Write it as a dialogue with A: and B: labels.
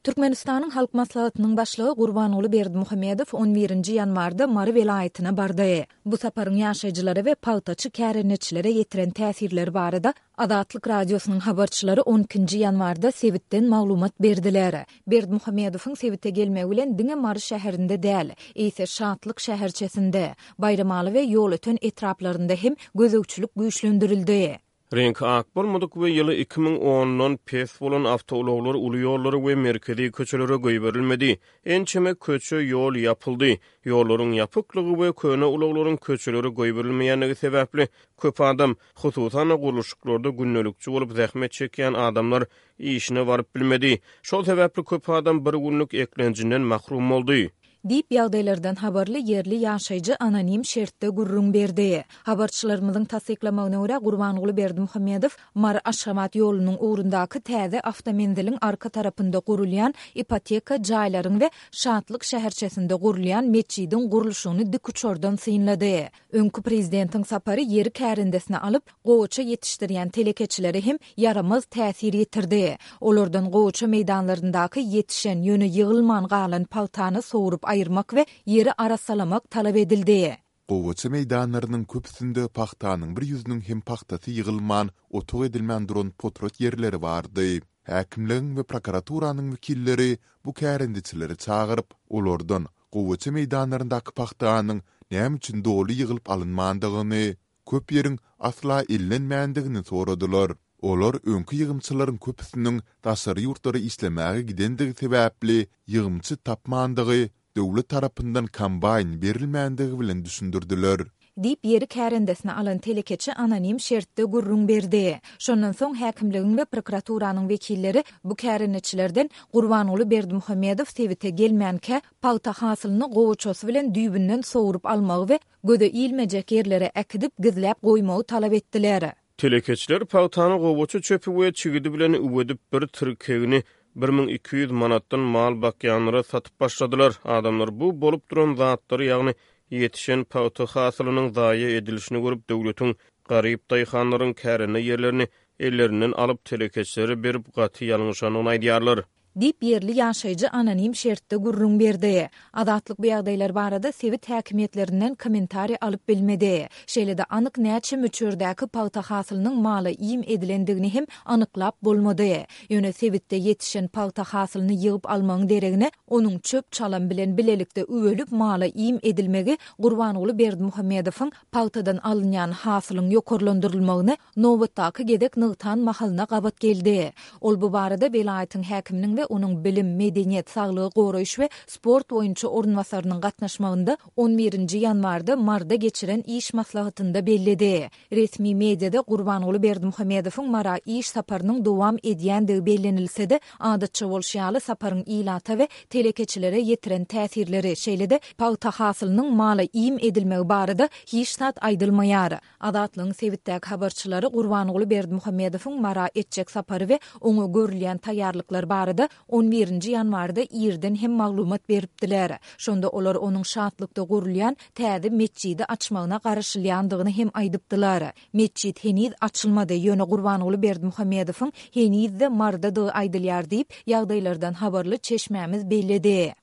A: Türkmenistanyň Halk Maslahatynyň Başlygy Gurbanguly Berdimuhamedow on birinji ýanwarda Mary welaýatyna bardy. Bu saparyň ýaşaýjylara we pagtaçy kärendeçilere ýetiren täsirleri barada Azatlyk Radiosynyň habarçylary on ikinji ýanwarda sebitden maglumat berdiler. Berdimuhamedowyň sebite gelmegi bilen diňe Mary şäherinde däl, eýse Şatlyk şäherçesinde, Baýramaly we Ýolöten etraplarynda hem gözegçilik güýçlendirildi.
B: Reňki ak bolmadyk we ýyly 2010-dan pes bolan awtoulaglar uly ýollara we merkezi köçelere goýberilmedi. Ençeme köçe, ýol ýapyldy. Ýollaryň ýapyklygy we köne ulaglaryň köçelere goýberilmeýändigi sebäpli, köp adam, hususan-da, gurluşyklarda gündelikçi bolup zähmet çekýän adamlar işine baryp bilmedi. Şol sebäpli köp adam bir günlük eklenjinden mahrum boldy.
A: Diýip, ýagdaýlardan habarly ýerli ýaşaýjy anonim şertde gürrüň berdi. Habarçylarymyzyň tassyklamagyna görä, Gurbanguly Berdimuhamedow Mary-Aşgabat ýolunyň ugrundaky täze awtomenziliň arka tarapynda gurulýan ipoteka jaýlaryň we Şatlyk şäherçesinde gurulýan metjidiň gurluşygyny dikuçardan synlady. Öňki prezidentiň sapary ýeri kärendesine alyp, gowaça ýetişdirýän telekeçilere hem ýaramaz täsir ýetirdi. Olardan gowaça meýdanlaryndaky ýetişen, ýöne ýygylman galan pagtany sowrup aýyrmak we ýeri arassalamak talap edildi.
C: Gowaça meýdanlarynyň köpüsinde pagtanyň bir ýüzüniň hem pagtasy ýygylman, otag edilmän duran potrat ýerleri bardy. Häkimligiň we prokuraturanyň wekilleri bu kärendeçileri çagyryp, olardan gowaça meýdanlaryndaky pagtanyň näme üçin doly ýygylyp alynmandygyny, köp ýeriň asla ellenmändigini soradylar. Olar öňki ýygymçylaryň köpüsiniň daşary ýurtlara işlemäge gidendigi sebäpli ýygymçy tapmandygy, döwlet tarapyndan kombaýn berilmändigi bilen düşündirdiler.
A: Diýip, ýeri kärendesine alan telekeçi anonim şertde gürrüň berdi. Şondan soň häkimligiň we prokuraturanyň wekilleri bu kärendeçilerden Gurbanguly Berdimuhamedow sebite gelmänkä, pagta hasylyny gowaçasy bilen düýbünden sowrup almagy we göze ilmejek ýerlere äkidip, gizläp goýmagy talap etdiler.
B: Telekeçiler pagtany gowaça çöpi we çigidi bilen üwedip, bir tirkegini 1200 manatdan mal bakýanlara satyp başladylar. Adamlar bu bolup duran zatlary, ýagny ýetişen pagta hasylynyň zaýa edilişini görüp, döwletiň garyp daýhanlaryň kärende ýerlerini ellerinden alyp, telekeçilere berip, gaty ýalňyşandygyny aýdýarlar.
A: Diýip, ýerli ýaşaýjy anonim şertde gürrüň berdi. Azatlyk bu ýagdaýlar barada sebit häkimiýetlerinden kommentariý alyp bilmedi. Şeýle-de anyk näçe möçberdäki pagta hasylynyň mala iým edilendigini hem anyklap bolmady. Ýöne sebitde ýetişen pagta hasylyny ýygyp almagyň deregine, onuň çöp-çalam bilen bilelikde üwelip mala iým edilmegi Gurbanguly Berdimuhamedowyň pagtadan alynýan hasylyň ýokarlandyrylmagyny nobatdaky gezek nygtan mahalyna gabat geldi. Ol bu barada welaýatyň häkiminiň we onuň bilim, medeniýet, saglygy goraýyş we sport boýunça orunbasarynyň gatnaşmagynda on birinji ýanwarda Maryda geçiren iş maslahatynda belledi. Resmi mediada Gurbanguly Berdimuhamedowyň Mara iş saparynyň dowam edýändigi bellenilse-de, adatça bolşy ýaly saparyň ilata we telekeçilere ýetiren täsirleri, şeýle-de pagta hasylynyň mala iým edilmegi barada hiç zat aýdylmaýar. Azatlygyň sebitdäki habarçylary Gurbanguly Berdimuhamedowyň Mara etjek sapary we oňa görülýän taýýarlyklar barada on birinji ýanwarda irden hem maglumat beripdiler. Şonda olar onuň Şatlykda gurulýan täze metjidi açmagyna garaşylýandygyny hem aýdypdylar. Metjit heniz açylmady, ýöne Gurbanguly Berdimuhamedowyň heniz-de Marydadygy aýdylýar diýip, ýagdaýlardan habarly çeşmämiz belledi.